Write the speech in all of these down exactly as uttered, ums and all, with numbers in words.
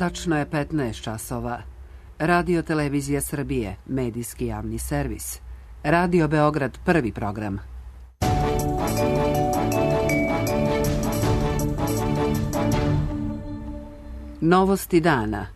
Tačno je petnaest časova. Radio Televizija Srbije, medijski javni servis. Radio Beograd, prvi program. Novosti dana.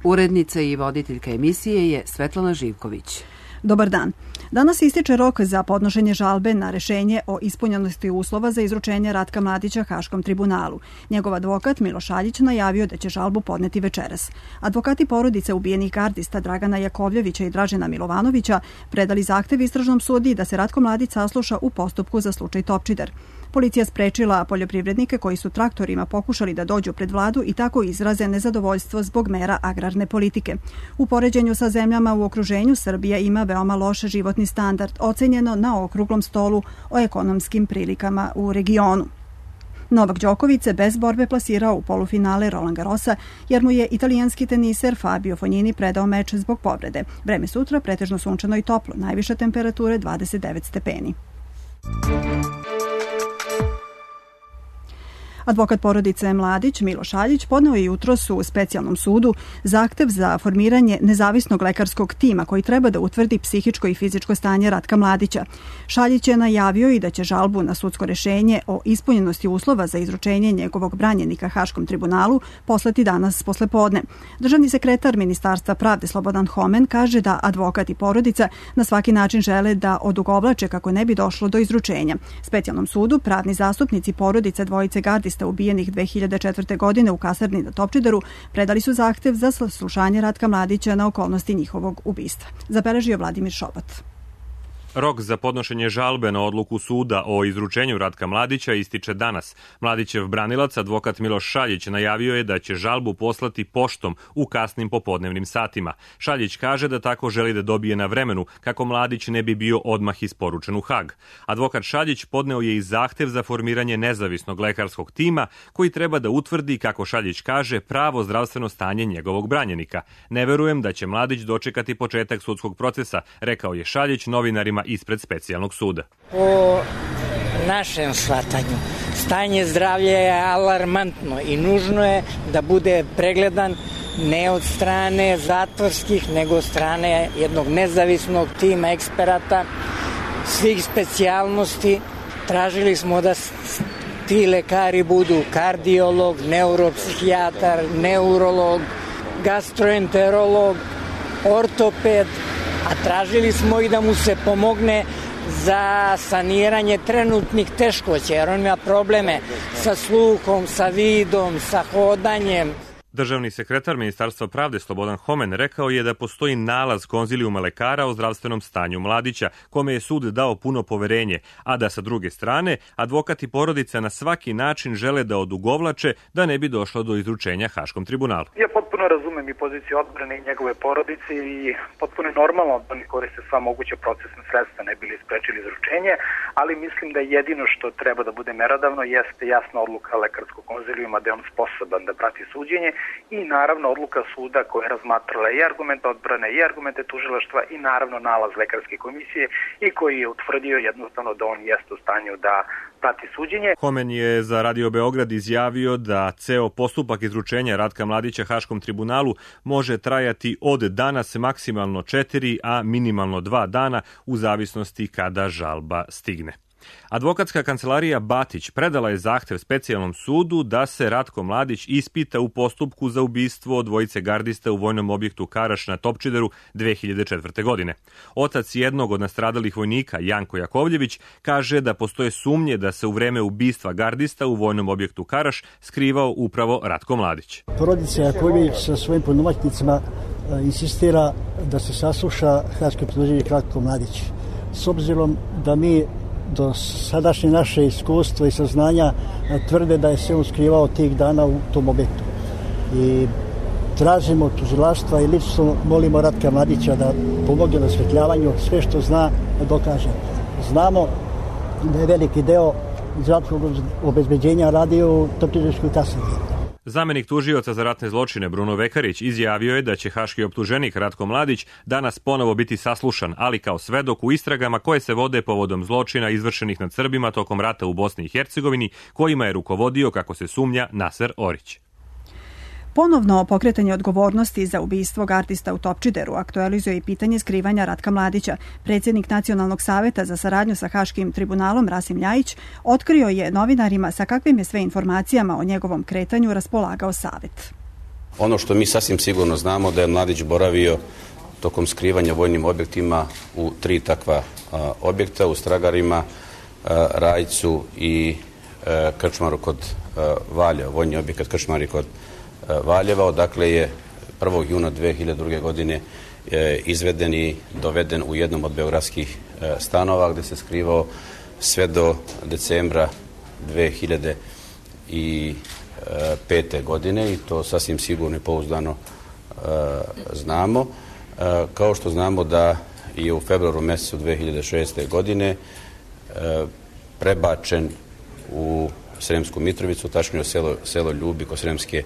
Urednica i voditeljka emisije je Svetlana Živković. Dobar dan. Danas ističe rok za podnošenje žalbe na rešenje o ispunjenosti uslova za izručenje Ratka Mladića Haškom tribunalu. Njegov advokat Miloš Šaljić najavio da će žalbu podneti večeras. Advokati porodice ubijenih gardista Dragana Jakovljevića i Dražena Milovanovića predali zahtev istražnom sudiji da se Ratko Mladić sasluša u postupku za slučaj Topčider. Policija sprečila poljoprivrednike koji su traktorima pokušali da dođu pred vladu i tako izraze nezadovoljstvo zbog mera agrarne politike. U poređenju sa zemljama u okruženju Srbija ima veoma loš životni standard, ocenjeno na okruglom stolu o ekonomskim prilikama u regionu. Novak Đoković se bez borbe plasirao u polufinale Roland Garrosa jer mu je italijanski teniser Fabio Fognini predao meč zbog povrede. Vreme sutra pretežno sunčano i toplo, najviše temperature dvadeset devet stepeni. Advokat porodice Mladić Miloš Šaljić podneo je jutros u specijalnom sudu zahtev za formiranje nezavisnog lekarskog tima koji treba da utvrdi psihičko i fizičko stanje Ratka Mladića. Šaljić je najavio i da će žalbu na sudsko rešenje o ispunjenosti uslova za izručenje njegovog branjenika Haškom tribunalu poslati danas poslepodne. Državni sekretar Ministarstva pravde Slobodan Homen kaže da advokat i porodica na svaki način žele da odugovlače kako ne bi došlo do izručenja. Specijalnom sudu pravni zastupnici porodice dvojice gardista ubijenih dve hiljade četvrte. godine u kasarni na Topčideru predali su zahtev za saslušanje Ratka Mladića na okolnosti njihovog ubistva. Zabeležio Vladimir Šobat. Rok za podnošenje žalbe na odluku suda o izručenju Ratka Mladića ističe danas. Mladićev branilac, advokat Miloš Šaljić, najavio je da će žalbu poslati poštom u kasnim popodnevnim satima. Šaljić kaže da tako želi da dobije na vremenu kako Mladić ne bi bio odmah isporučen u Hag. Advokat Šaljić podneo je i zahtev za formiranje nezavisnog lekarskog tima koji treba da utvrdi, kako Šaljić kaže, pravo zdravstveno stanje njegovog branjenika. Ne verujem da će Mladić dočekati početak sudskog procesa, rekao je Šaljić novinarima ispred specijalnog suda. Po našem shvatanju, stanje zdravlja je alarmantno i nužno je da bude pregledan ne od strane zatvorskih, nego od strane jednog nezavisnog tima eksperata svih specijalnosti. Tražili smo da ti lekari budu kardiolog, neuropsihijatar, neurolog, gastroenterolog, ortoped, a tražili smo i da mu se pomogne za saniranje trenutnih teškoća, jer on ima probleme sa sluhom, sa vidom, sa hodanjem. Državni sekretar Ministarstva pravde Slobodan Homen rekao je da postoji nalaz konzilijuma lekara o zdravstvenom stanju Mladića, kome je sud dao puno poverenje, a da sa druge strane advokat i porodica na svaki način žele da odugovlače da ne bi došlo do izručenja Haškom tribunalu. Ja potpuno razumem i poziciju odbrane i njegove porodice i potpuno je normalno da oni koriste sva moguća procesna sredstva ne bili sprečili izručenje, ali mislim da jedino što treba da bude merodavno jeste jasna odluka lekarskog konzilijuma da je on sposoban da prati suđenje i naravno odluka suda koja je razmatrala i argumente odbrane i argumente tužilaštva i naravno nalaz lekarske komisije i koji je utvrdio jednostavno da on jeste u stanju da prati suđenje. Homen je za Radio Beograd izjavio da ceo postupak izručenja Ratka Mladića Haškom tribunalu može trajati od danas maksimalno četiri, a minimalno dva dana u zavisnosti kada žalba stigne. Advokatska kancelarija Batić predala je zahtev specijalnom sudu da se Ratko Mladić ispita u postupku za ubistvo dvojice gardista u vojnom objektu Karaš na Topčideru dve hiljade četvrte. godine. Otac jednog od nastradalih vojnika, Janko Jakovljević, kaže da postoje sumnje da se u vreme ubistva gardista u vojnom objektu Karaš skrivao upravo Ratko Mladić. Porodica Jakovljević sa svojim punomoćnicima insistira da se sasluša haški optuženik Ratko Mladić. S obzirom da mi do sadašnje naše iskustvo i saznanja tvrde da je se on skrivao tih dana u tom objektu. I tražimo tužilaštva i lično molimo Ratka Mladića da pomogne na osvetljavanju sve što zna da dokaže. Znamo da je veliki deo zdravstvenog obezbeđenja radio u Topčiderskoj kasarni. Zamenik tužioca za ratne zločine Bruno Vekarić izjavio je da će haški optuženik Ratko Mladić danas ponovo biti saslušan, ali kao svedok u istragama koje se vode povodom zločina izvršenih nad Srbima tokom rata u Bosni i Hercegovini, kojima je rukovodio, kako se sumnja, Naser Orić. Ponovno pokretanje odgovornosti za ubistvo gardista u Topčideru aktualizuje i pitanje skrivanja Ratka Mladića. Predsjednik Nacionalnog saveta za saradnju sa Haškim tribunalom Rasim Ljajić otkrio je novinarima sa kakvim je sve informacijama o njegovom kretanju raspolagao savet. Ono što mi sasvim sigurno znamo da je Mladić boravio tokom skrivanja vojnim objektima u tri takva a, objekta, u Stragarima, a, Rajcu i a, Krčmaru kod a, Valjeva, vojni objekat Krčmari kod a, Valjeva. Odakle je prvog juna dve hiljade druge. godine e, izveden i doveden u jednom od beogradskih e, stanova gde se skrivao sve do decembra dve hiljade pete. godine i to sasvim sigurno i pouzdano e, znamo. E, kao što znamo da je u februaru mesecu dve hiljade šeste. godine e, prebačen u Sremsku Mitrovicu, tačnije selo, selo Ljubi kod Sremske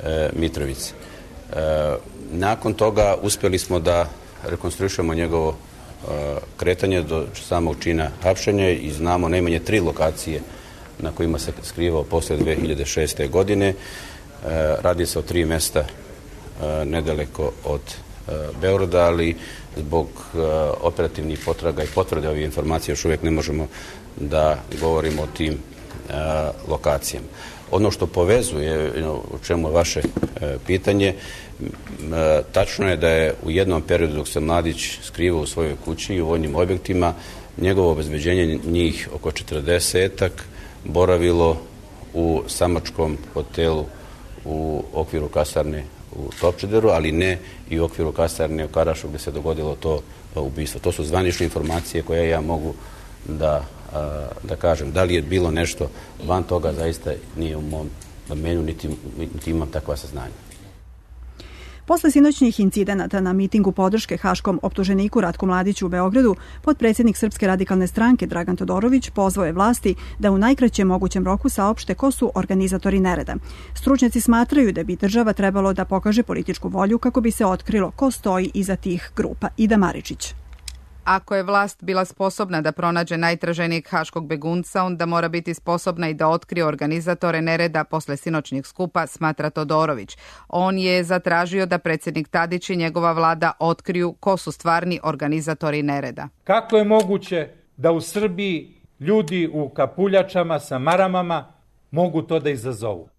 e, Mitrovice. E, nakon toga uspjeli smo da rekonstruišemo njegovo e, kretanje do samog čina hapšenja i znamo najmanje tri lokacije na kojima se skrivao posle dve hiljade šeste. godine. E, radi se o tri mesta e, nedaleko od e, Beograda, ali zbog e, operativnih potraga i potvrde ovih informacija još uvijek ne možemo da govorimo o tim e, lokacijama. Ono što povezuje, o čemu je vaše e, pitanje, e, tačno je da je u jednom periodu dok se Mladić skrivao u svojoj kući i u vojnim objektima, njegovo obezbeđenje, njih oko četrdesetak, boravilo u samačkom hotelu u okviru kasarne u Topčideru, ali ne i u okviru kasarne u Karašu gdje se dogodilo to ubistvo. To su zvanične informacije koje ja mogu da, da kažem. Da li je bilo nešto van toga, zaista nije u mom domenu, niti, niti imam takva saznanja. Posle sinoćnih incidenata na mitingu podrške haškom optuženiku Ratku Mladiću u Beogradu, potpredsjednik Srpske radikalne stranke Dragan Todorović pozvao je vlasti da u najkraćem mogućem roku saopšte ko su organizatori nereda. Stručnjaci smatraju da bi država trebalo da pokaže političku volju kako bi se otkrilo ko stoji iza tih grupa. Ida Maričić. Ako je vlast bila sposobna da pronađe najtraženijeg haškog begunca, onda mora biti sposobna i da otkrije organizatore nereda posle sinoćnjeg skupa, smatra Todorović. On je zatražio da predsjednik Tadić i njegova vlada otkriju ko su stvarni organizatori nereda. Kako je moguće da u Srbiji ljudi u kapuljačama sa maramama mogu to da izazovu?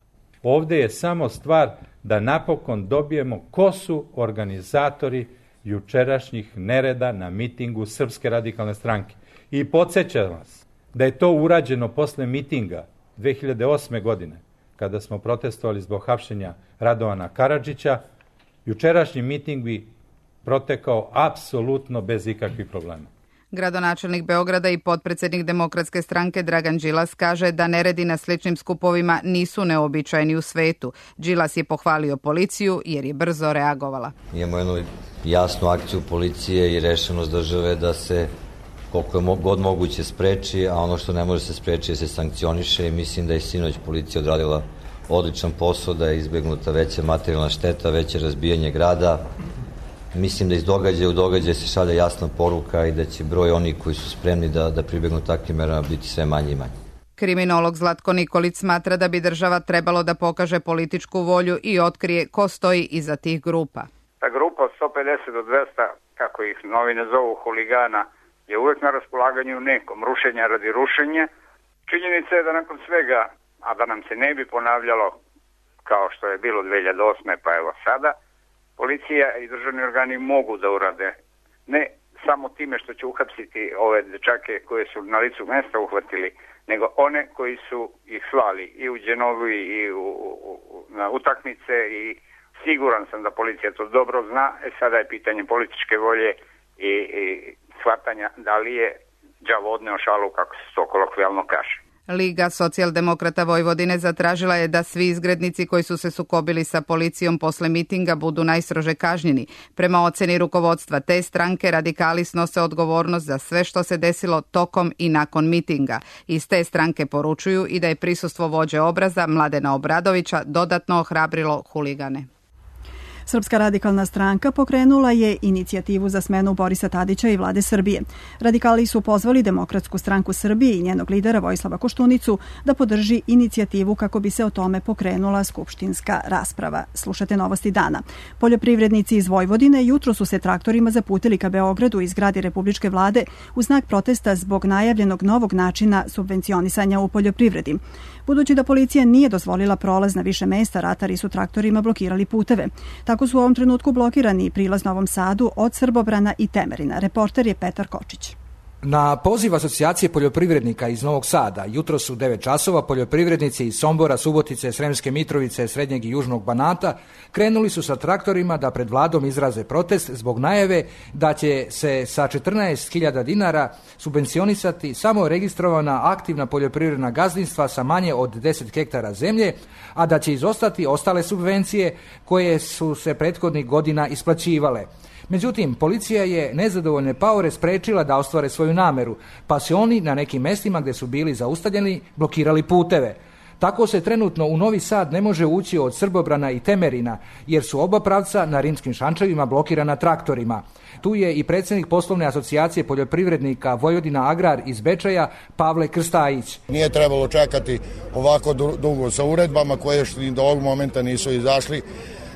Ovdje je samo stvar da napokon dobijemo ko su organizatori jučerašnjih nereda na mitingu Srpske radikalne stranke. I podsjećam vas da je to urađeno posle mitinga dve hiljade osme. godine, kada smo protestovali zbog hapšenja Radovana Karadžića. Jučerašnji miting bi protekao apsolutno bez ikakvih problema. Gradonačelnik Beograda i potpredsjednik Demokratske stranke Dragan Đilas kaže da neredi na sličnim skupovima nisu neobičajni u svetu. Đilas je pohvalio policiju jer je brzo reagovala. Imamo jednu jasnu akciju policije i rešenost države da se koliko je god moguće spreči, a ono što ne može se spreči se sankcioniše i mislim da je sinoć policija odradila odličan posao, da je izbjegnuta veća materijalna šteta, veće razbijanje grada. Mislim da iz događaja u događaj se šalje jasna poruka i da će broj onih koji su spremni da, da pribegnu takvim merama biti sve manje i manje. Kriminolog Zlatko Nikolić smatra da bi država trebalo da pokaže političku volju i otkrije ko stoji iza tih grupa. Ta grupa od sto pedeset do dvesta, kako ih novine zovu, huligana, je uvek na raspolaganju nekom, rušenja radi rušenja. Činjenica je da nakon svega, a da nam se ne bi ponavljalo kao što je bilo dve hiljade osme. pa evo sada, policija i državni organi mogu da urade, ne samo time što će uhapsiti ove dečake koje su na licu mesta uhvatili, nego one koji su ih slali i u Đenovu i u, u, na utakmice i siguran sam da policija to dobro zna. E sada je pitanje političke volje i, i shvatanja da li je đavo odneo šalu, kako se to kolokvijalno kaže. Liga socijaldemokrata Vojvodine zatražila je da svi izgrednici koji su se sukobili sa policijom posle mitinga budu najstrože kažnjeni. Prema oceni rukovodstva te stranke, radikali snose odgovornost za sve što se desilo tokom i nakon mitinga. Iz te stranke poručuju i da je prisustvo vođe obraza Mladena Obradovića dodatno ohrabrilo huligane. Srpska radikalna stranka pokrenula je inicijativu za smenu Borisa Tadića i vlade Srbije. Radikali su pozvali Demokratsku stranku Srbije i njenog lidera Vojislava Koštunicu da podrži inicijativu kako bi se o tome pokrenula skupštinska rasprava. Slušate Novosti dana. Poljoprivrednici iz Vojvodine jutro su se traktorima zaputili ka Beogradu iz zgrade Republičke vlade u znak protesta zbog najavljenog novog načina subvencionisanja u poljoprivredi. Budući da policija nije dozvolila prolaz na više mesta, ratari su traktorima blokirali puteve. Tako su u ovom trenutku blokirani prilaz Novom Sadu od Srbobrana i Temerina. Reporter je Petar Kočić. Na poziv Asocijacije poljoprivrednika iz Novog Sada, jutro su devet časova, poljoprivrednici iz Sombora, Subotice, Sremske Mitrovice, Srednjeg i Južnog Banata krenuli su sa traktorima da pred vladom izraze protest zbog najave da će se sa četrnaest hiljada dinara subvencionisati samo registrovana aktivna poljoprivredna gazdinstva sa manje od deset hektara zemlje, a da će izostati ostale subvencije koje su se prethodnih godina isplaćivale. Međutim, policija je nezadovoljne paore sprečila da ostvare svoju nameru, pa se oni na nekim mestima gde su bili zaustavljeni blokirali puteve. Tako se trenutno u Novi Sad ne može ući od Srbobrana i Temerina, jer su oba pravca na rimskim šančevima blokirana traktorima. Tu je i predsjednik poslovne asocijacije poljoprivrednika Vojvodina Agrar iz Bečeja, Pavle Krstajić. Nije trebalo čekati ovako dugo sa uredbama koje još do ovog momenta nisu izašli.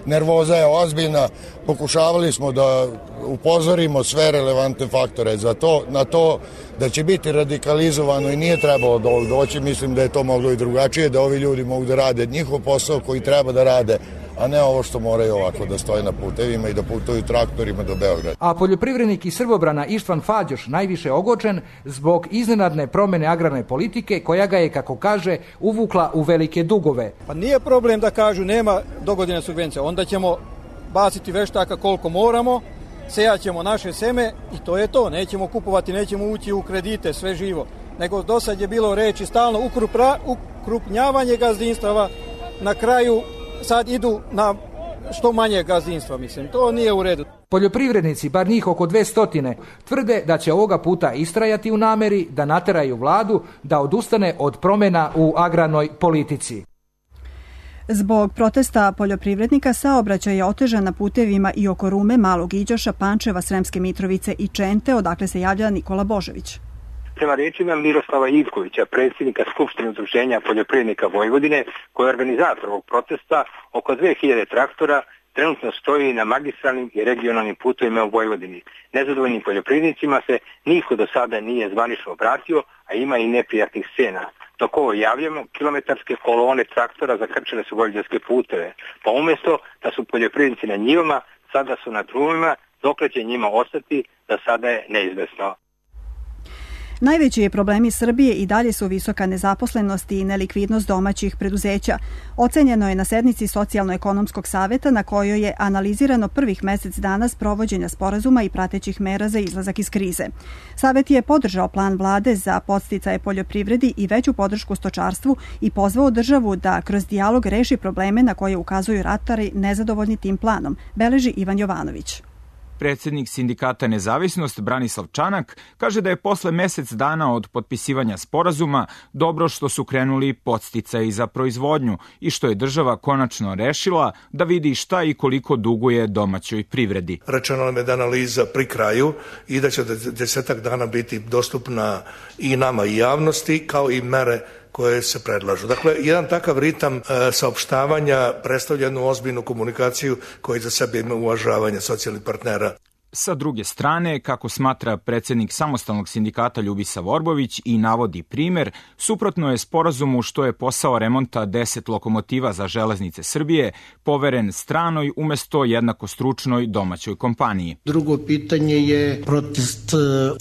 Nervoza je ozbiljna, pokušavali smo da upozorimo sve relevantne faktore za to, na to da će biti radikalizovano i nije trebalo do ovog doći, mislim da je to moglo i drugačije, da ovi ljudi mogu da rade njihov posao koji treba da rade, a ne ovo što moraju ovako da stoje na putevima i da putuju traktorima do Beograda. A poljoprivrednik iz Srbobrana Ištvan Fađoš najviše ogočen zbog iznenadne promene agrarne politike koja ga je, kako kaže, uvukla u velike dugove. Pa nije problem da kažu nema dogodine subvencija, onda ćemo baciti veštaka koliko moramo, sejaćemo naše seme i to je to, nećemo kupovati, nećemo ući u kredite, sve živo. Nego do sad je bilo reči stalno ukrupra, ukrupnjavanje gazdinstava, na kraju sad idu na što manje gazdinstva, mislim, to nije u redu. Poljoprivrednici, bar njih oko dve stotine, tvrde da će ovoga puta istrajati u nameri da nateraju vladu da odustane od promjena u agrarnoj politici. Zbog protesta poljoprivrednika saobraćaj je otežan na putevima i oko Rume, Malog Iđoša, Pančeva, Sremske Mitrovice i Čente, odakle se javlja Nikola Božović. Prema rečima Miroslava Ivkovića, predsjednika Skupštine udruženja poljoprivrednika Vojvodine, koji je organizator ovog protesta, oko dve hiljade traktora trenutno stoji na magistralnim i regionalnim putovima u Vojvodini. Nezadovoljnim poljoprivrednicima se niko do sada nije zvanično obratio, a ima i neprijatnih scena. Dok ovo javljamo, kilometarske kolone traktora zakrčile su vojvođanske puteve, pa umjesto da su poljoprivrednici na njivama, sada su na drumima, dokle će njima ostati, da sada je neizvesno. Najveći problemi Srbije i dalje su visoka nezaposlenost i nelikvidnost domaćih preduzeća. Ocenjeno je na sednici Socijalno-ekonomskog saveta na kojoj je analizirano prvih mesec dana sprovođenja sporazuma i pratećih mera za izlazak iz krize. Savet je podržao plan vlade za podsticaje poljoprivredi i veću podršku stočarstvu i pozvao državu da kroz dijalog reši probleme na koje ukazuju ratari nezadovoljni tim planom, beleži Ivan Jovanović. Predsjednik sindikata Nezavisnost Branislav Čanak kaže da je posle mesec dana od potpisivanja sporazuma dobro što su krenuli podsticaji za proizvodnju i što je država konačno rešila da vidi šta i koliko duguje domaćoj privredi. Rečeno nam je da analiza pri kraju i da će desetak dana biti dostupna i nama i javnosti kao i mere koje se predlažu. Dakle, jedan takav ritam e, saopštavanja predstavlja jednu ozbiljnu komunikaciju koja za sebe ima uvažavanje socijalnih partnera. Sa druge strane, kako smatra predsjednik samostalnog sindikata Ljubisa Vorbović i navodi primer, suprotno je sporazumu što je posao remonta deset lokomotiva za železnice Srbije poveren stranoj umesto jednako stručnoj domaćoj kompaniji. Drugo pitanje je protest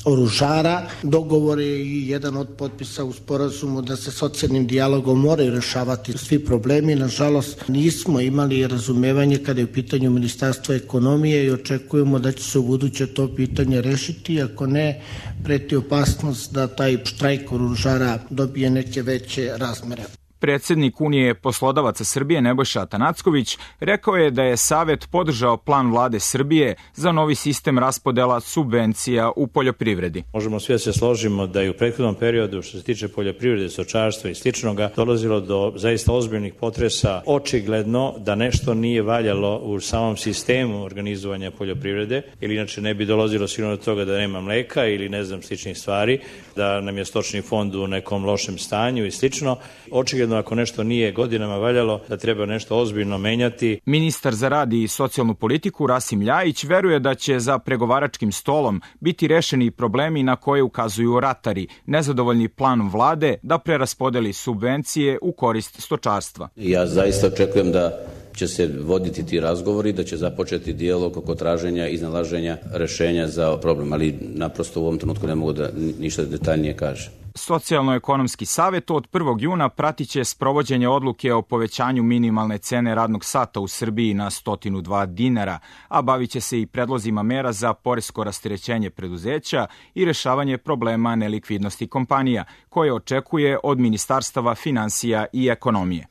oružara. Dogovor je i jedan od potpisa u sporazumu da se socijalnim dijalogom moraju rešavati svi problemi. Nažalost, nismo imali razumevanje kada je u pitanju Ministarstva ekonomije i očekujemo da će se u buduće to pitanje rešiti, ako ne, preti opasnost da taj štrajk oružara dobije neke veće razmere. Predsednik Unije poslodavaca Srbije Nebojša Atanacković rekao je da je Savet podržao plan vlade Srbije za novi sistem raspodela subvencija u poljoprivredi. Možemo svi da se složimo da je u prethodnom periodu što se tiče poljoprivrede, stočarstva i sličnoga dolazilo do zaista ozbiljnih potresa. Očigledno da nešto nije valjalo u samom sistemu organizovanja poljoprivrede, ili inače ne bi dolazilo sigurno do toga da nema mleka ili ne znam sličnih stvari, da nam je stočni fond u nekom lošem stanju i slično. Očigledno ako nešto nije godinama valjalo, da treba nešto ozbiljno menjati. Ministar za rad i socijalnu politiku Rasim Ljajić veruje da će za pregovaračkim stolom biti rešeni problemi na koje ukazuju ratari, nezadovoljni planom vlade da preraspodeli subvencije u korist stočarstva. Ja zaista očekujem da će se voditi ti razgovori, da će započeti dijalog oko traženja i iznalaženja rešenja za problem, ali naprosto u ovom trenutku ne mogu da ništa detaljnije kažem. Socijalno-ekonomski savet od prvog juna pratiće sprovođenje odluke o povećanju minimalne cene radnog sata u Srbiji na sto dva dinara, a bavit će se i predlozima mera za poresko rasterećenje preduzeća i rešavanje problema nelikvidnosti kompanija, koje očekuje od ministarstava finansija i ekonomije.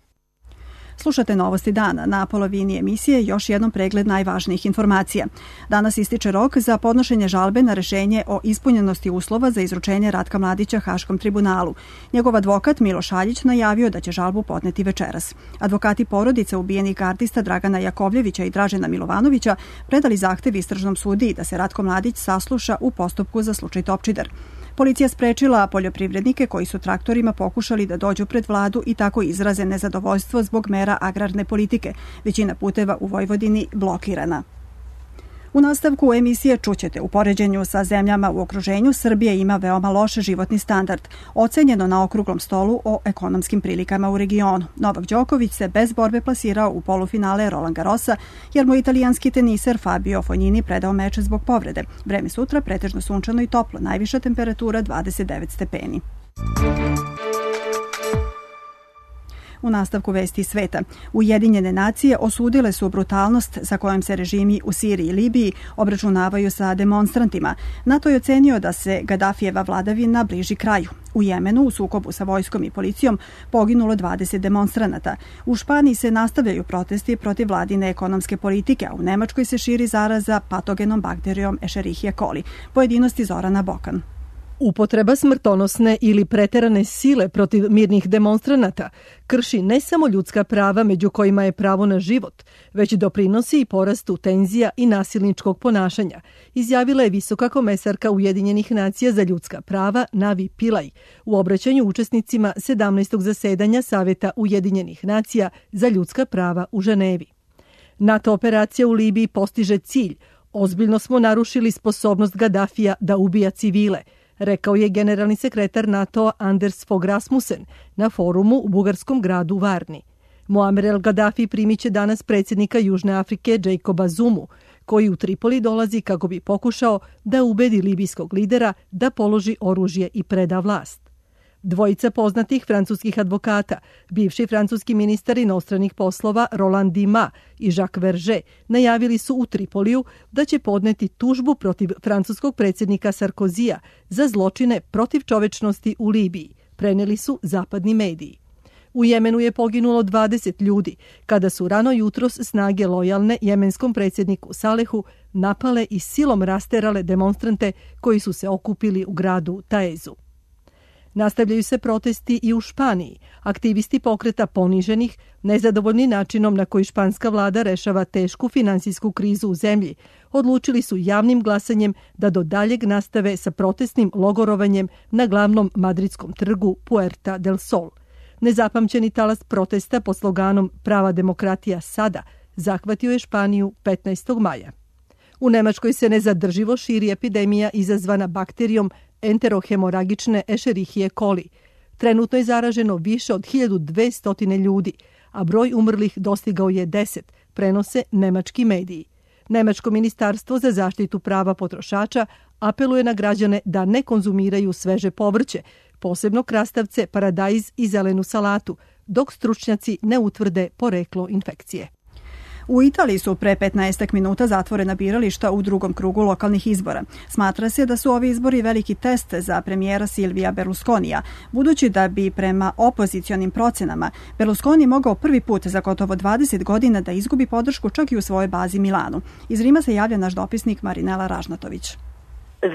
Slušate Novosti dana. Na polovini emisije još jednom pregled najvažnijih informacija. Danas ističe rok za podnošenje žalbe na rešenje o ispunjenosti uslova za izručenje Ratka Mladića Haškom tribunalu. Njegov advokat Miloš Šaljić najavio da će žalbu podneti večeras. Advokati porodice ubijenih gardista Dragana Jakovljevića i Dražena Milovanovića predali zahtev istražnom sudiji da se Ratko Mladić sasluša u postupku za slučaj Topčider. Policija sprečila poljoprivrednike koji su traktorima pokušali da dođu pred vladu i tako izraze nezadovoljstvo zbog mera agrarne politike. Većina puteva u Vojvodini blokirana. U nastavku emisije čućete u poređenju sa zemljama u okruženju Srbija ima veoma loš životni standard, ocenjeno na okruglom stolu o ekonomskim prilikama u regionu. Novak Đoković se bez borbe plasirao u polufinale Roland Garrosa, jer mu italijanski teniser Fabio Fognini predao meč zbog povrede. Vreme sutra pretežno sunčano i toplo, najviša temperatura dvadeset devet stepeni. U nastavku vesti sveta, Ujedinjene nacije osudile su brutalnost sa kojom se režimi u Siriji i Libiji obračunavaju sa demonstrantima. NATO je ocenio da se Gadafijeva vladavina bliži kraju. U Jemenu, u sukobu sa vojskom i policijom, poginulo dvadeset demonstranata. U Španiji se nastavljaju protesti protiv vladine ekonomske politike, a u Nemačkoj se širi zaraza patogenom bakterijom Escherichia coli. Pojedinosti Zorana Bokan. Upotreba smrtonosne ili preterane sile protiv mirnih demonstranata krši ne samo ljudska prava, među kojima je pravo na život, već doprinosi i porastu tenzija i nasilničkog ponašanja, izjavila je visoka komesarka Ujedinjenih nacija za ljudska prava Navi Pillay u obraćanju učesnicima sedamnaestog zasedanja Saveta Ujedinjenih nacija za ljudska prava u Ženevi. NATO operacija u Libiji postiže cilj. Ozbiljno smo narušili sposobnost Gadafija da ubija civile, rekao je generalni sekretar NATO-a Anders Fogh Rasmussen na forumu u bugarskom gradu Varni. Muamer el-Gaddafi primit će danas predsjednika Južne Afrike Jacoba Zumu, koji u Tripoli dolazi kako bi pokušao da ubedi libijskog lidera da položi oružje i preda vlast. Dvojica poznatih francuskih advokata, bivši francuski ministar inostranih poslova Roland Dima i Jacques Verger, najavili su u Tripoliju da će podneti tužbu protiv francuskog predsjednika Sarkozija za zločine protiv čovečnosti u Libiji, preneli su zapadni mediji. U Jemenu je poginulo dvadeset ljudi kada su rano jutros snage lojalne jemenskom predsjedniku Salehu napale i silom rasterale demonstrante koji su se okupili u gradu Taezu. Nastavljaju se protesti i u Španiji. Aktivisti pokreta poniženih, nezadovoljni načinom na koji španska vlada rešava tešku finansijsku krizu u zemlji, odlučili su javnim glasanjem da do daljeg nastave sa protestnim logorovanjem na glavnom madridskom trgu Puerta del Sol. Nezapamćeni talas protesta pod sloganom Prava demokratija sada zahvatio je Španiju petnaestog maja. U Nemačkoj se nezadrživo širi epidemija izazvana bakterijom enterohemoragične Escherichie coli. Trenutno je zaraženo više od hiljadu dvesta ljudi, a broj umrlih dostigao je deset, prenose nemački mediji. Nemačko ministarstvo za zaštitu prava potrošača apeluje na građane da ne konzumiraju sveže povrće, posebno krastavce, paradajz i zelenu salatu, dok stručnjaci ne utvrde poreklo infekcije. U Italiji su pre petnaestak minuta zatvorena birališta u drugom krugu lokalnih izbora. Smatra se da su ovi izbori veliki test za premijera Silvija Berlusconija, budući da bi prema opozicionim procenama Berlusconi mogao prvi put za gotovo dvadeset godina da izgubi podršku čak i u svojoj bazi Milanu. Iz Rima se javlja naš dopisnik Marinela Ražnatović.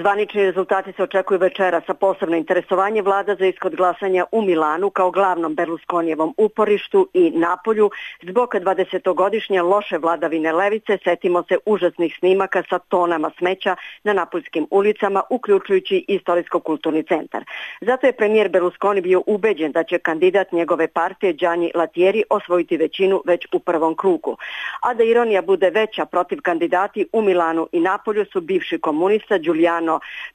Zvanični rezultati se očekuju večeras, a posebno interesovanje vlada za ishod glasanja u Milanu kao glavnom Berlusconijevom uporištu i Napolju zbog dvadesetogodišnje loše vladavine levice. Setimo se užasnih snimaka sa tonama smeća na napoljskim ulicama, uključujući istorijsko-kulturni centar. Zato je premijer Berlusconi bio ubeđen da će kandidat njegove partije Gianni Lattieri osvojiti većinu već u prvom krugu. A da ironija bude veća, protiv kandidati u Milanu i Napolju su bivši komunista Giuliano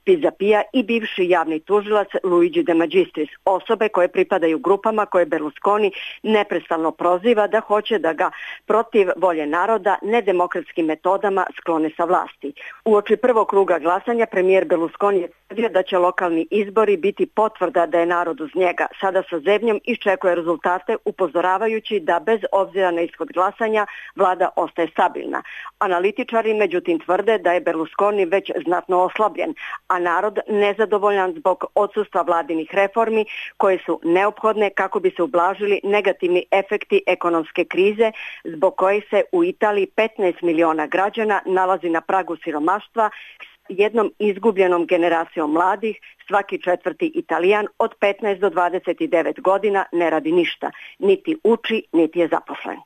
Pisapia i bivši javni tužilac Luigi De Magistris, osobe koje pripadaju grupama koje Berlusconi neprestano proziva da hoće da ga protiv volje naroda nedemokratskim metodama sklone sa vlasti. Uoči prvog kruga glasanja premijer Berlusconi je tvrdio da će lokalni izbori biti potvrda da je narod uz njega. Sada sa zebnjom iščekuje rezultate, upozoravajući da bez obzira na ishod glasanja vlada ostaje stabilna. Analitičari međutim tvrde da je Berlusconi već znatno oslabljen, a narod nezadovoljan zbog odsustva vladinih reformi koje su neophodne kako bi se ublažili negativni efekti ekonomske krize zbog koje se u Italiji petnaest miliona građana nalazi na pragu siromaštva, jednom izgubljenom generacijom mladih. Svaki četvrti Italijan od petnaest do dvadeset devet godina ne radi ništa, niti uči, niti je zaposlen.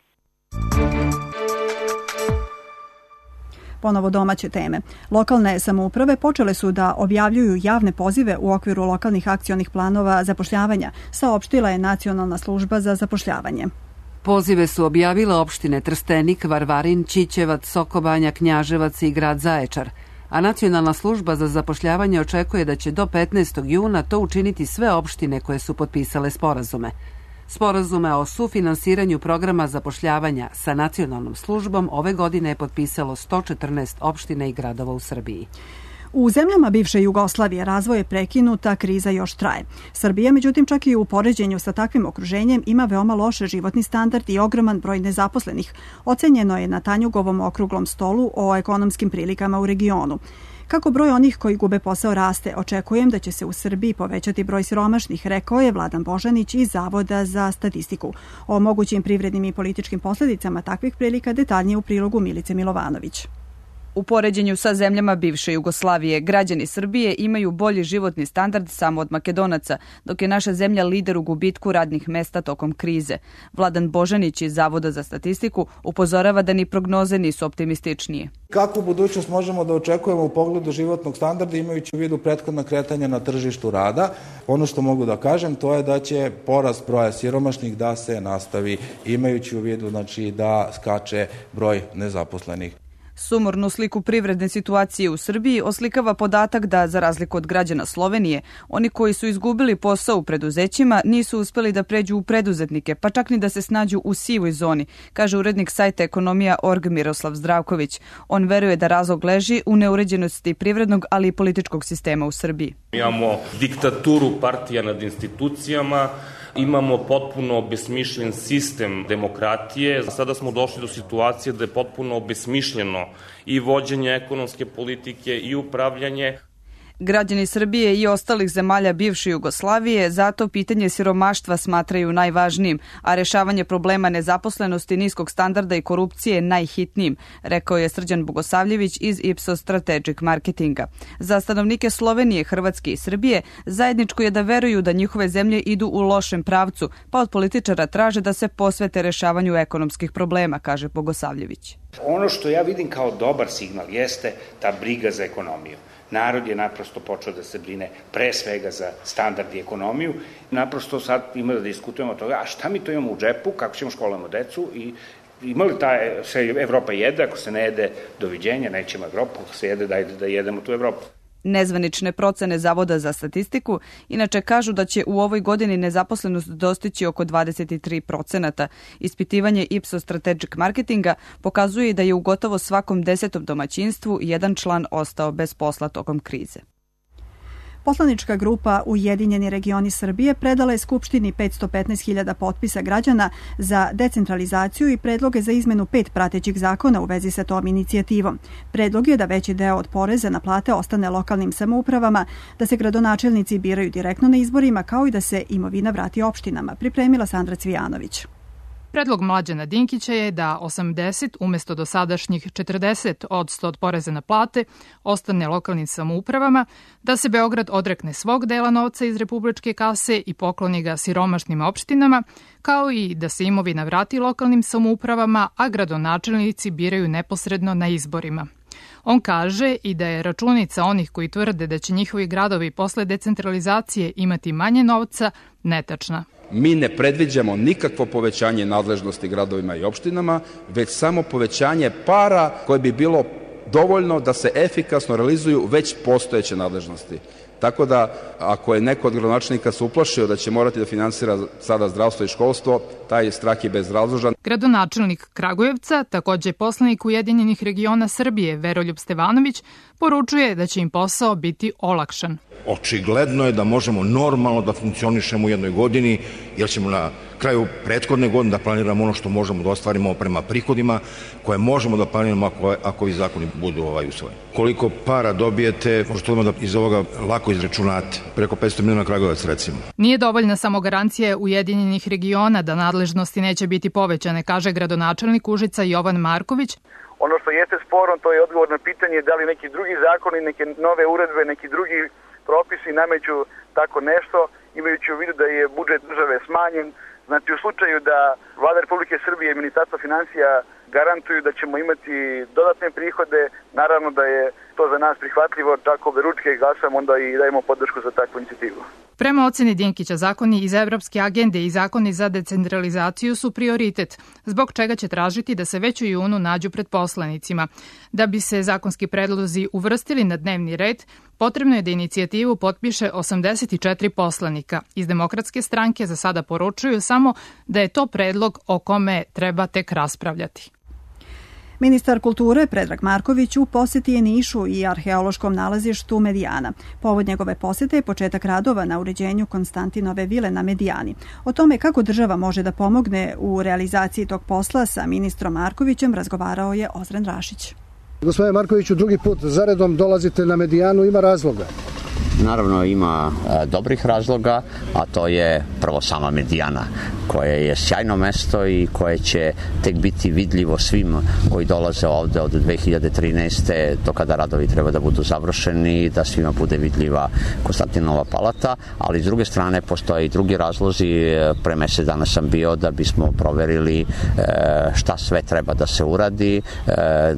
Ponovo domaće teme. Lokalne samouprave počele su da objavljuju javne pozive u okviru lokalnih akcionih planova zapošljavanja, saopštila je Nacionalna služba za zapošljavanje. Pozive su objavile opštine Trstenik, Varvarin, Ćićevac, Sokobanja, Knjaževac i grad Zaječar, a Nacionalna služba za zapošljavanje očekuje da će do petnaestog juna to učiniti sve opštine koje su potpisale sporazume. Sporazume o sufinansiranju programa zapošljavanja sa nacionalnom službom ove godine je potpisalo sto četrnaest opština i gradova u Srbiji. U zemljama bivše Jugoslavije razvoj je prekinut, a kriza još traje. Srbija, međutim, čak i u poređenju sa takvim okruženjem ima veoma loše životni standard i ogroman broj nezaposlenih. Ocenjeno je na Tanjugovom okruglom stolu o ekonomskim prilikama u regionu. Kako broj onih koji gube posao raste, očekujem da će se u Srbiji povećati broj siromašnih, rekao je Vladan Božanić iz Zavoda za statistiku. O mogućim privrednim i političkim posljedicama takvih prilika detaljnije u prilogu Milice Milovanović. U poređenju sa zemljama bivše Jugoslavije, građani Srbije imaju bolji životni standard samo od Makedonaca, dok je naša zemlja lider u gubitku radnih mesta tokom krize. Vladan Božanić iz Zavoda za statistiku upozorava da ni prognoze nisu optimističnije. Kakvu budućnost možemo da očekujemo u pogledu životnog standarda imajući u vidu prethodna kretanja na tržištu rada? Ono što mogu da kažem to je da će porast broja siromašnih da se nastavi imajući u vidu znači, da skače broj nezaposlenih. Sumornu sliku privredne situacije u Srbiji oslikava podatak da, za razliku od građana Slovenije, oni koji su izgubili posao u preduzećima nisu uspeli da pređu u preduzetnike, pa čak ni da se snađu u sivoj zoni, kaže urednik sajta Ekonomija точка org Miroslav Zdravković. On veruje da razlog leži u neuređenosti privrednog, ali i političkog sistema u Srbiji. Imamo diktaturu partija nad institucijama, imamo potpuno obesmišljen sistem demokratije. Sada smo došli do situacije da je potpuno obesmišljeno i vođenje ekonomske politike i upravljanje. Građani Srbije i ostalih zemalja bivše Jugoslavije zato pitanje siromaštva smatraju najvažnijim, a rešavanje problema nezaposlenosti, niskog standarda i korupcije najhitnijim, rekao je Srđan Bogosavljević iz Ipsos Strategic Marketinga. Za stanovnike Slovenije, Hrvatske i Srbije zajedničko je da veruju da njihove zemlje idu u lošem pravcu, pa od političara traže da se posvete rešavanju ekonomskih problema, kaže Bogosavljević. Ono što ja vidim kao dobar signal jeste ta briga za ekonomiju. Narod je naprosto počeo da se brine pre svega za standard i ekonomiju. Naprosto sad ima da diskutujemo o toga, a šta mi to imamo u džepu, kako ćemo školamo decu i ima li ta, se Evropa jede, ako se ne jede, doviđenja, nećemo Evropu, ako se jede, dajde da jedemo tu Evropu. Nezvanične procene Zavoda za statistiku inače kažu da će u ovoj godini nezaposlenost dostići oko dvadeset tri procenata. Ispitivanje Ipsos Strategic Marketinga pokazuje da je u gotovo svakom desetom domaćinstvu jedan član ostao bez posla tokom krize. Poslanička grupa Ujedinjeni regioni Srbije predala je Skupštini petsto petnaest hiljada potpisa građana za decentralizaciju i predloge za izmenu pet pratećih zakona u vezi sa tom inicijativom. Predlog je da veći deo od poreza na plate ostane lokalnim samoupravama, da se gradonačelnici biraju direktno na izborima, kao i da se imovina vrati opštinama, pripremila Sandra Cvijanović. Predlog Mlađana Dinkića je da osamdeset umesto dosadašnjih četrdeset odsto od poreza na plate ostane lokalnim samoupravama, da se Beograd odrekne svog dela novca iz republičke kase i pokloni ga siromašnim opštinama, kao i da se imovina vrati lokalnim samoupravama, a gradonačelnici biraju neposredno na izborima. On kaže i da je računica onih koji tvrde da će njihovi gradovi posle decentralizacije imati manje novca netačna. Mi ne predviđamo nikakvo povećanje nadležnosti gradovima i opštinama, već samo povećanje para koje bi bilo dovoljno da se efikasno realizuju već postojeće nadležnosti. Tako da, ako je neko od gradonačelnika se uplašio da će morati da finansira sada zdravstvo i školstvo, taj strah je bezrazložan. Gradonačelnik Kragujevca, takođe poslanik Ujedinjenih regiona Srbije, Veroljub Stevanović, poručuje da će im posao biti olakšan. Očigledno je da možemo normalno da funkcionišemo u jednoj godini, jer ćemo na kraju prethodne godine da planiramo ono što možemo da ostvarimo prema prihodima, koje možemo da planiramo ako, ako ovi zakoni budu ovaj usvojeni. Koliko para dobijete, možete da iz ovoga lako izračunate. Preko petsto miliona Kragujevac, recimo. Nije dovoljna samo garancija Ujedinjenih regiona da nadležnosti neće biti povećane, kaže gradonačelnik Užica Jovan Marković. Ono što jeste sporno, to je odgovor na pitanje da li neki drugi zakoni, neke nove uredbe, neki drugi propisi nameću tako nešto, imajući u vidu da je budžet države smanjen. Znači, u slučaju da Vlada Republike Srbije i Ministarstvo finansija garantuju da ćemo imati dodatne prihode, naravno da je to za nas prihvatljivo, tako beručke glasamo, onda i dajemo podršku za takvu inicijativu. Prema oceni Dinkića, zakoni iz Evropske agende i zakoni za decentralizaciju su prioritet, zbog čega će tražiti da se već u junu nađu pred poslanicima. Da bi se zakonski predlozi uvrstili na dnevni red, potrebno je da inicijativu potpiše osamdeset četiri poslanika. Iz Demokratske stranke za sada poručuju samo da je to predlog o kome treba tek raspravljati. Ministar kulture Predrag Marković u poseti je Nišu i arheološkom nalazištu Medijana. Povod njegove posete je početak radova na uređenju Konstantinove vile na Medijani. O tome kako država može da pomogne u realizaciji tog posla sa ministrom Markovićem razgovarao je Ozren Rašić. Gospodine Markoviću, drugi put zaredom dolazite na Medijanu, ima razloga? Naravno ima e, dobrih razloga, a to je prvo sama Medijana, koje je sjajno mesto i koje će tek biti vidljivo svim koji dolaze ovde od dve hiljade trinaeste do kada radovi treba da budu završeni, da svima bude vidljiva Konstantinova palata, ali s druge strane postoje i drugi razlozi. Pre mesec dana sam bio da bismo proverili e, šta sve treba da se uradi, e,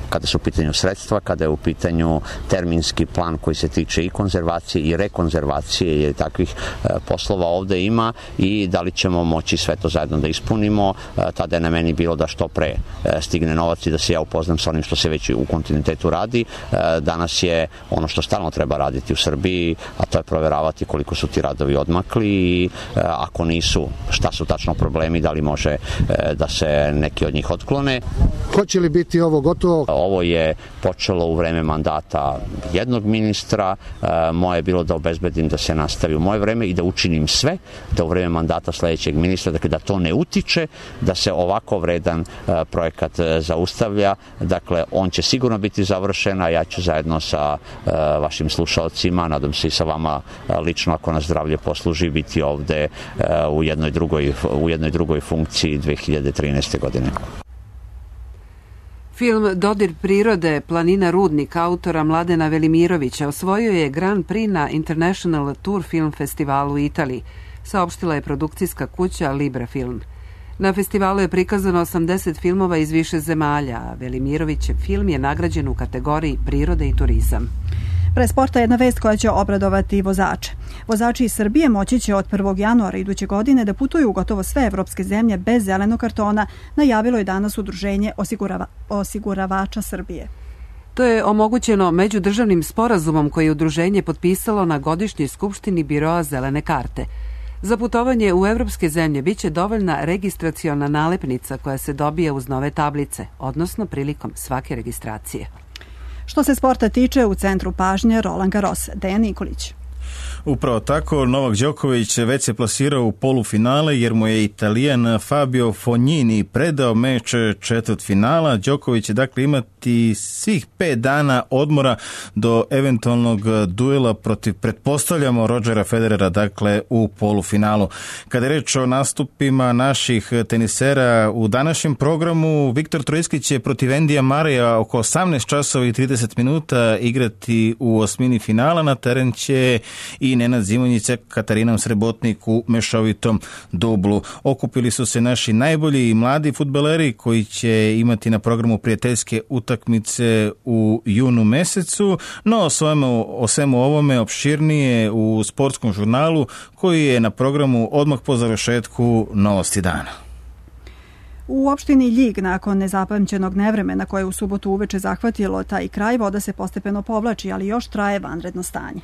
kada su u pitanju sredstva, kada je u pitanju terminski plan koji se tiče i konzervacije i rekonzervacije, jer takvih e, poslova ovde ima, i da li ćemo moći sve to zajedno da ispunimo. E, tada je na meni bilo da što pre e, stigne novac i da se ja upoznam sa onim što se već u kontinuitetu radi. E, danas je ono što stalno treba raditi u Srbiji, a to je proveravati koliko su ti radovi odmakli i e, ako nisu, šta su tačno problemi, da li može e, da se neki od njih otklone. Hoće li biti ovo gotovo? Ovo je počelo u vreme mandata jednog ministra, moje je bilo da obezbedim da se nastavi u moje vreme i da učinim sve da u vreme mandata sledećeg ministra, dakle da to ne utiče, da se ovako vredan projekat zaustavlja. Dakle, on će sigurno biti završen, a ja ću zajedno sa vašim slušalcima, nadam se i sa vama lično, ako nas zdravlje posluži, biti ovde u jednoj drugoj, u jednoj drugoj funkciji dve hiljade trinaeste. godine. Film Dodir prirode, planina Rudnik autora Mladena Velimirovića osvojio je Grand Prix na International Tour Film Festivalu u Italiji, saopštila je produkcijska kuća Libra Film. Na festivalu je prikazano osamdeset filmova iz više zemalja, a Velimirovićev film je nagrađen u kategoriji prirode i turizam. Pre sporta jedna vest koja će obradovati vozače. Vozači iz Srbije moći će od prvog januara iduće godine da putuju u gotovo sve evropske zemlje bez zelenog kartona, najavilo je danas Udruženje osigurava, osiguravača Srbije. To je omogućeno međudržavnim sporazumom koji je udruženje potpisalo na godišnjoj skupštini Biroa zelene karte. Za putovanje u evropske zemlje biće dovoljna registraciona nalepnica koja se dobija uz nove tablice, odnosno prilikom svake registracije. Što se sporta tiče, u centru pažnje Roland Garros, Dejan Nikolić. Upravo tako, Novak Đoković već se plasirao u polufinale jer mu je Italijan Fabio Fognini predao meč četvrtfinala. Đoković će dakle imati svih pet dana odmora do eventualnog duela protiv, pretpostavljamo, Rodgera Federera, dakle u polufinalu. Kada je reč o nastupima naših tenisera u današnjem programu, Viktor Trojski će protiv Endija Marija oko osamnaest časova i trideset minuta igrati u osmini finala. Na teren će i Nenad Zimonjić, Katarina Srebotnik u mešovitom dublu. Okupili su se naši najbolji i mladi fudbaleri koji će imati na programu prijateljske utakmice u junu mesecu, no o svemu, o svemu ovome opširnije u sportskom žurnalu koji je na programu odmah po završetku Novosti dana. U opštini Ljig nakon nezapamćenog nevremena koje u subotu uveče zahvatilo taj kraj, voda se postepeno povlači, ali još traje vanredno stanje.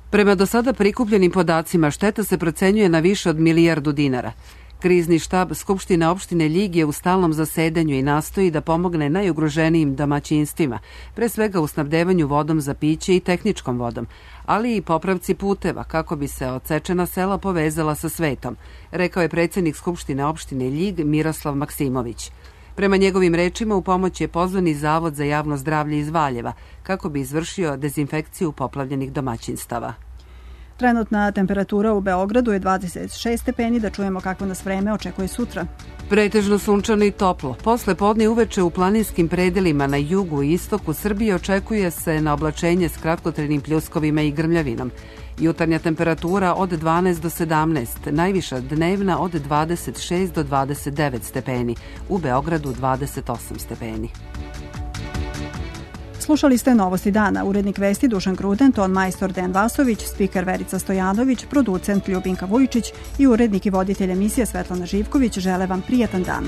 Prema do sada prikupljenim podacima, šteta se procenjuje na više od milijardu dinara. Krizni štab Skupštine opštine Ljig je u stalnom zasedanju i nastoji da pomogne najugroženijim domaćinstvima, pre svega u snabdevanju vodom za piće i tehničkom vodom, ali i popravci puteva kako bi se odsečena sela povezala sa svetom, rekao je predsjednik Skupštine opštine Ljig Miroslav Maksimović. Prema njegovim rečima u pomoć je pozvani Zavod za javno zdravlje iz Valjeva kako bi izvršio dezinfekciju poplavljenih domaćinstava. Trenutna temperatura u Beogradu je dvadeset šest stepeni, da čujemo kako nas vreme očekuje sutra. Pretežno sunčano i toplo. Posle podne uveče u planinskim predelima na jugu i istoku Srbije očekuje se na oblačenje s kratkotrenim pljuskovima i grmljavinom. Jutarnja temperatura od dvanaest do sedamnaest, najviša dnevna od dvadeset šest do dvadeset devet stepeni, u Beogradu dvadeset osam stepeni. Slušali ste Novosti dana, urednik vesti Dušan Kruden, ton majstor Dejan Vasović, spiker Verica Stojanović, producent Ljubinka Vujčić i urednik i voditelj emisije Svetlana Živković žele vam prijatan dan.